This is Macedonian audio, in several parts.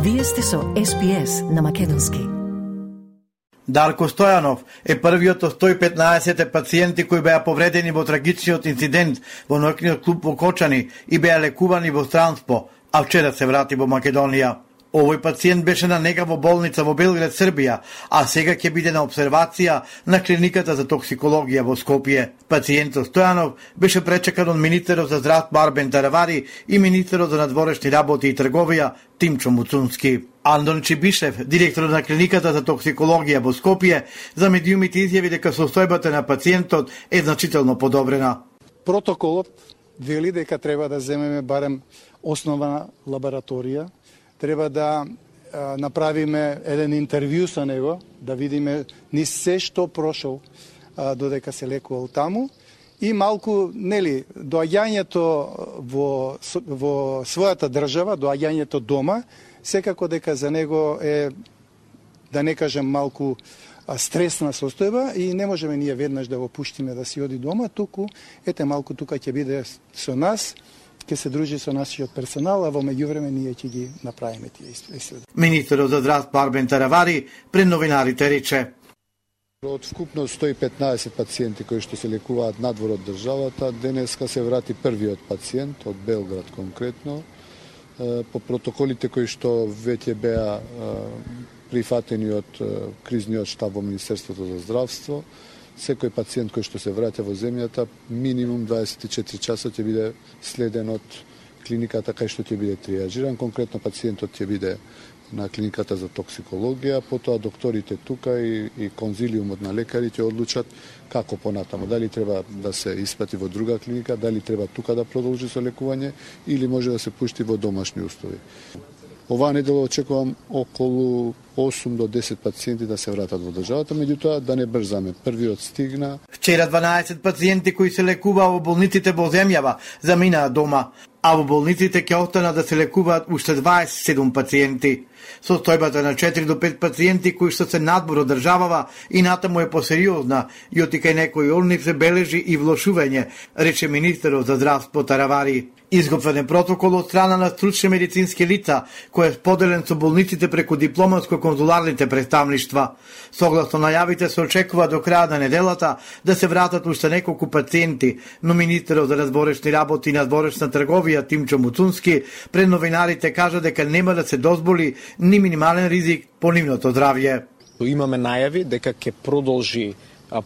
Вие сте со SPS на македонски. Дарко Стојанов е првиот од 115 пациенти кои беа повредени во трагичниот инцидент во ноќниот клуб во Кочани и беа лекувани во странство, а вчера се врати во Македонија. Овој пациент беше на нега во болница во Белград, Србија, а сега ќе биде на обсервација на клиниката за токсикологија во Скопје. Пациентот Стојанов беше пречекан од министерот за здравство Арбен Таравари и министерот за надворешни работи и трговија Тимчо Муцунски. Андон Чибишев, директор на клиниката за токсикологија во Скопје, за медиумите изјави дека состојбата на пациентот е значително подобрена. Протоколот вели дека треба да земеме барем основна лабораторија, треба да направиме еден интервју со него, да видиме ни се што прошол додека се лекувал таму и малку, доаѓањето во својата држава, доаѓањето дома, секако дека за него е, да не кажем, малку стресна состојба и не можеме ние веднаш да го пуштиме да си оди дома, туку малку тука ќе биде со нас, ќе се дружи со нашиот персонал, а во меѓувреме ние ќе ги направиме тие исследувања. Министерот за здравство Арбен Таравари пред новинарите рече: од вкупно 115 пациенти кои што се лекуваат надвор од државата, денеска се врати првиот пациент од Белград конкретно, по протоколите кои што веќе беа прифатени од кризниот штаб во Министерството за здравство. Секој пациент кој што се враќа во земјата, минимум 24 часа ќе биде следен од клиниката кај што ќе биде триажиран. Конкретно пациентот ќе биде на клиниката за токсикологија, потоа докторите тука и конзилиумот на лекари ќе одлучат како понатаму. Дали треба да се испрати во друга клиника, дали треба тука да продолжи со лекување или може да се пушти во домашни услови. Оваа недела очекувам околу 8 до 10 пациенти да се вратат во државата, меѓутоа да не брзаме. Првиот стигна. Вчера 12 пациенти кои се лекуваа во болниците во земјава заминаа дома, а во болниците ќе останат да се лекуваат уште 27 пациенти. Состојбата на 4 до 5 пациенти кои што се надвор од државава и натаму е посериозна и оти кај некои олни се бележи и влошување, рече министерот за здравство Таравари. Изготвен е протокол од страна на стручни медицински лица, кој е споделен со болниците преку дипломатско-конзуларните представништва. Согласно најавите се очекува до крај на неделата да се вратат уште неколку пациенти, но министерот за надворешни работи и надворешна трговија Тимчо Муцунски пред новинарите кажа дека нема да се дозволи ни минимален ризик по нивното здравје. Имаме најави дека ќе продолжи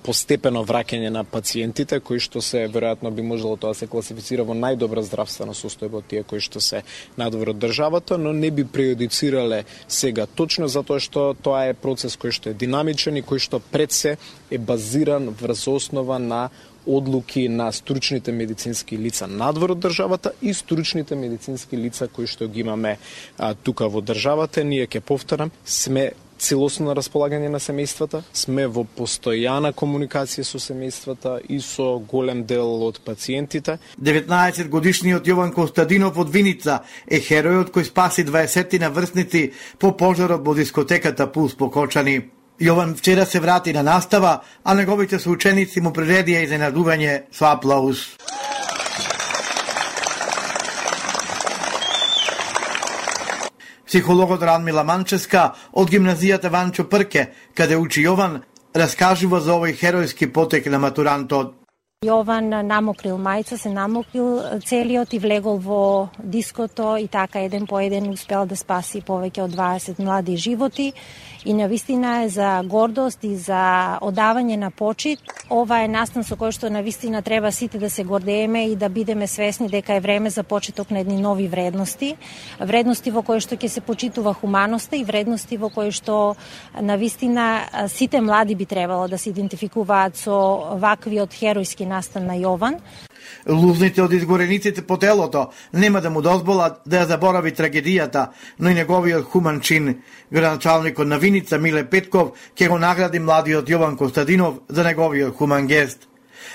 постепено враќање на пациентите кои што се веројатно би можело тоа се класифицира во најдобра здравствена состојба од тие кои што се надвор од државата, но не би прејудицирале сега точно затоа што тоа е процес кој што е динамичен и кој што пред се е базиран врз основа на одлуки на стручните медицински лица надвор од државата и стручните медицински лица кои што ги имаме тука во државата. Ние ќе повторам, сме целосно на располагање на семејствата, сме во постојана комуникација со семејствата и со голем дел од пациентите. 19-годишниот Јован Костадинов од Виница е херојот кој спаси 20 врсници по пожарот во дискотеката Пулс по Кочани. Јован вчера се врати на настава, а неговите соученици му приредија изненадување со аплауз. Психологот Радмила Манческа од гимназијата Ванчо Прке, каде учи Јован, раскажува за овој херојски потек на матурантот. Јован намокрил мајца, се намокрил целиот и влегол во диското и така еден по еден успел да спаси повеќе од 20 млади животи и навистина е за гордост и за одавање на почит. Ова е настан со кој што навистина треба сите да се гордееме и да бидеме свесни дека е време за почеток на едни нови вредности. Вредности во кои што ќе се почитува хуманоста и вредности во кои што навистина сите млади би требало да се идентификуваат со ваквиот херојски настан на Јован. Лузните од изгорениците по телото нема да му дозволат да ја заборави трагедијата, но и неговиот хуман чин. Градоначалникот на Виница Миле Петков ќе го награди младиот Јован Костадинов за неговиот хуман гест.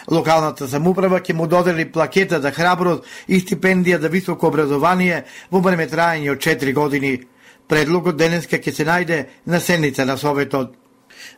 Локалната самоуправа ќе му додели плакета за храброст и стипендија за високо образование во време траење од 4 години. Предлогот денеска ќе се најде на седница на Советот.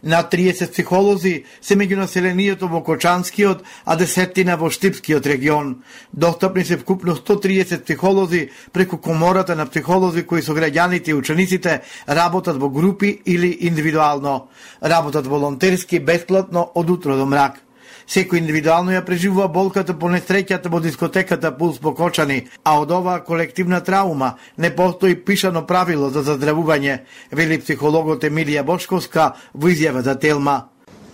На 30 психолози се меѓу населението во Кочанскиот, а десеттина во Штипскиот регион. Достапни се вкупно 130 психолози преку комората на психолози кои со граѓаните и учениците работат во групи или индивидуално. Работат волонтерски, бесплатно од утро до мрак. Секој индивидуално ја преживува болката по несреќата во дискотеката Пулс по Кочани, а од оваа колективна траума не постои пишано правило за заздравување, вели психологот Емилија Бошковска во изјава за Телма.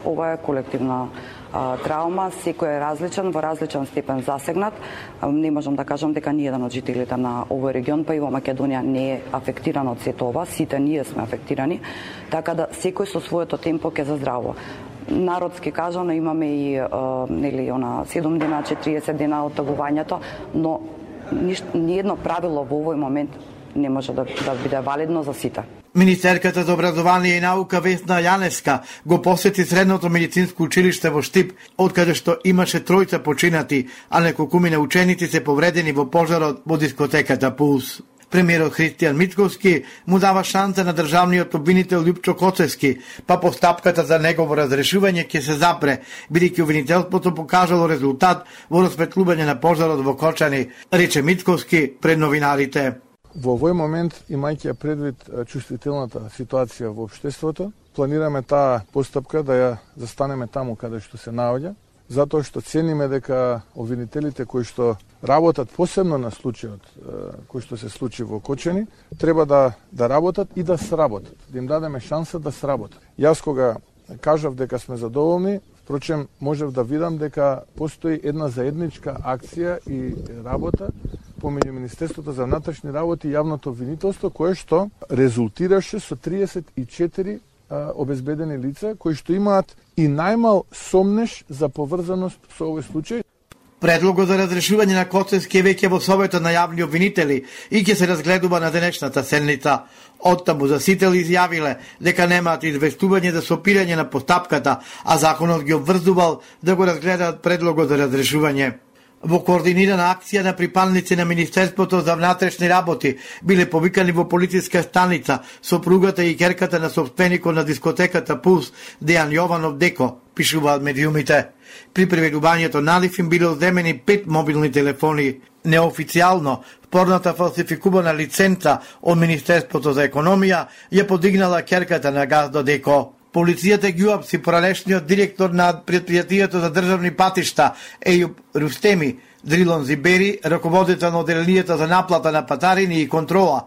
Ова е колективна траума, секој е различен, во различен степен засегнат. Не можам да кажам дека ни еден од жителите на овој регион, па и во Македонија не е афектиран од сето ова, сите ние сме афектирани, така да секој со своето темпо ќе заздравува. Народски кажано имаме и нели она 7 дена, 40 дена од тагувањето, но ни едно правило во овој момент не може да биде валидно за сите. Министерката за образование и наука Весна Јаневска го посети средното медицинско училиште во Штип, откаде што имаше тројца починати, а неколкумина ученици се повредени во пожарот во дискотеката Пулс. Премиерот Христијан Мицковски му дава шанса на државниот обвинител Љупчо Коцевски, па постапката за негово разрешување ќе се запре, бидејќи обвинителството покажало резултат во расветлување на пожарот во Кочани, рече Мицковски пред новинарите. Во овој момент, имајќи предвид чувствителната ситуација во општеството, планираме таа постапка да ја застанеме таму каде што се наоѓа, затоа што цениме дека обвинителите кои што работат посебно на случајот кој што се случи во Кочани, треба да работат и да сработат, да им дадеме шанса да сработат. Јас кога кажав дека сме задоволни, впрочем можев да видам дека постои една заедничка акција и работа помеѓу Министерството за внатрешни работи и јавното обвинителство, кое што резултираше со 34 обезбедени лица кои што имаат и најмал сомнеш за поврзаност со овој случај. Предлогот за разрешување на Коцевски е веќе во Советот на јавни обвинители и ќе се разгледува на денешната седница. Оттаму засители изјавиле дека немаат известување за сопирање на постапката, а законот ги обврзувал да го разгледаат предлогот за разрешување. Во координирана акција на припадници на Министерството за внатрешни работи биле повикани во полициска станица сопругата и ќерката на собственикот на дискотеката Пулс Дејан Јованов Деко, пишуваат медиумите. При преведувањето налив им биле одземени 5 мобилни телефони. Неофицијално, спорната фалсификувана лиценца од Министерството за економија ја подигнала ќерката на Газдо Деко. Полицијата ги уапси поралешниот директор на предпријатието за државни патишта Ејуб Рустеми, Дрилон Зибери, раководител на оделенијата за наплата на патарини и контрола,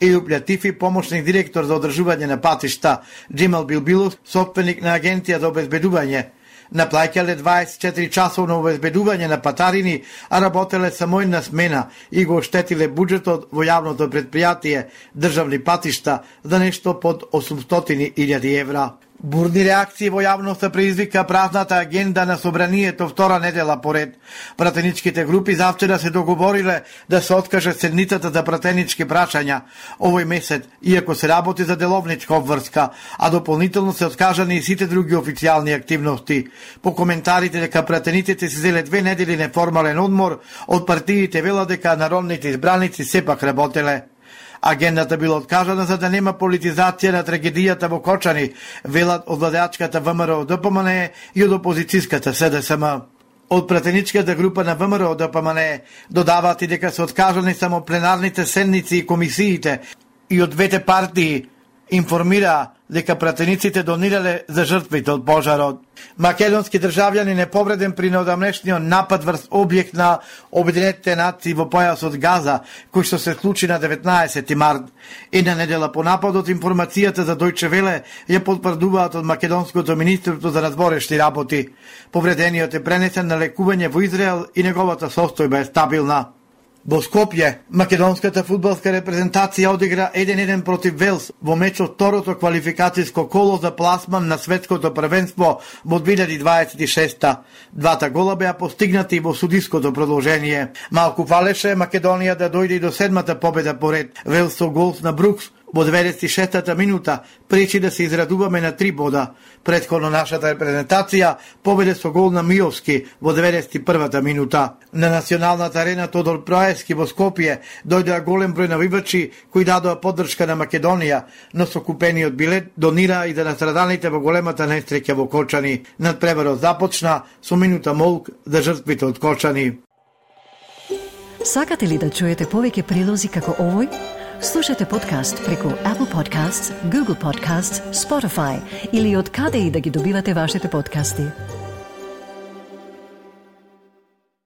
Ејуб Латифи, помошник директор за одржување на патишта, Джемал Билбилов, собственик на агенција за обезбедување. Наплаќале 24 часовно обезбедување на патарини, а работеле само една смена и го оштетиле буџетот во јавното предпријатие државни патишта за нешто под 800.000 евра. Бурни реакции во јавноста предизвика празната агенда на собранието втора недела поред. Пратеничките групи завчера се договориле да се откаже седницата за пратенички прашања овој месец, иако се работи за деловничка обврска, а дополнително се откажани и сите други официјални активности. По коментарите дека пратениците се зеле 2 недели неформален одмор, од партиите велат дека народните избраници сепак работеле. Агендата била откажана за да нема политизација на трагедијата во Кочани, велат од владеачката ВМРО ДПМН и од опозицијската СДСМ. Од пратеничката група на ВМРО ДПМН додаваат и дека се откажани само пленарните седници и комисиите и од двете партии информира дека пратениците донирале за жртвите од пожарот. Македонски државјанин е повреден при неодамнешниот напад врз објект на Обединетите нации во појасот Газа, кој што се случи на 19 март. Една недела по нападот, информацијата за Дојче Веле ја потврдуваат од Македонското министерство за надворешни работи. Повредениот е пренесен на лекување во Израел и неговата состојба е стабилна. Во Скопје, македонската фудбалска репрезентација одигра 1-1 против Велс во мечот второто квалификацијско коло за пласман на светското првенство во 2026. Двата гола беа постигнати во судиското продолжение. Малку фалеше Македонија да дојде и до седмата победа поред. Велс со гол на Брукс Во 96-та минута пречи да се израдуваме на 3 бода. Претходно нашата репрезентација победе со гол на Миовски во 91-та минута. На националната арена Тодор Проевски во Скопје дојдоа голем број навивачи кои дадоа поддршка на Македонија, но со купениот билет донира и за настрадалните во големата несреќа во Кочани. Надпреварот започна со минута молк за жртвите од Кочани. Сакате ли да чуете повеќе прилози како овој? Слушате подкаст преку Apple Podcasts, Google Podcasts, Spotify или од каде и да ги добивате вашите подкасти.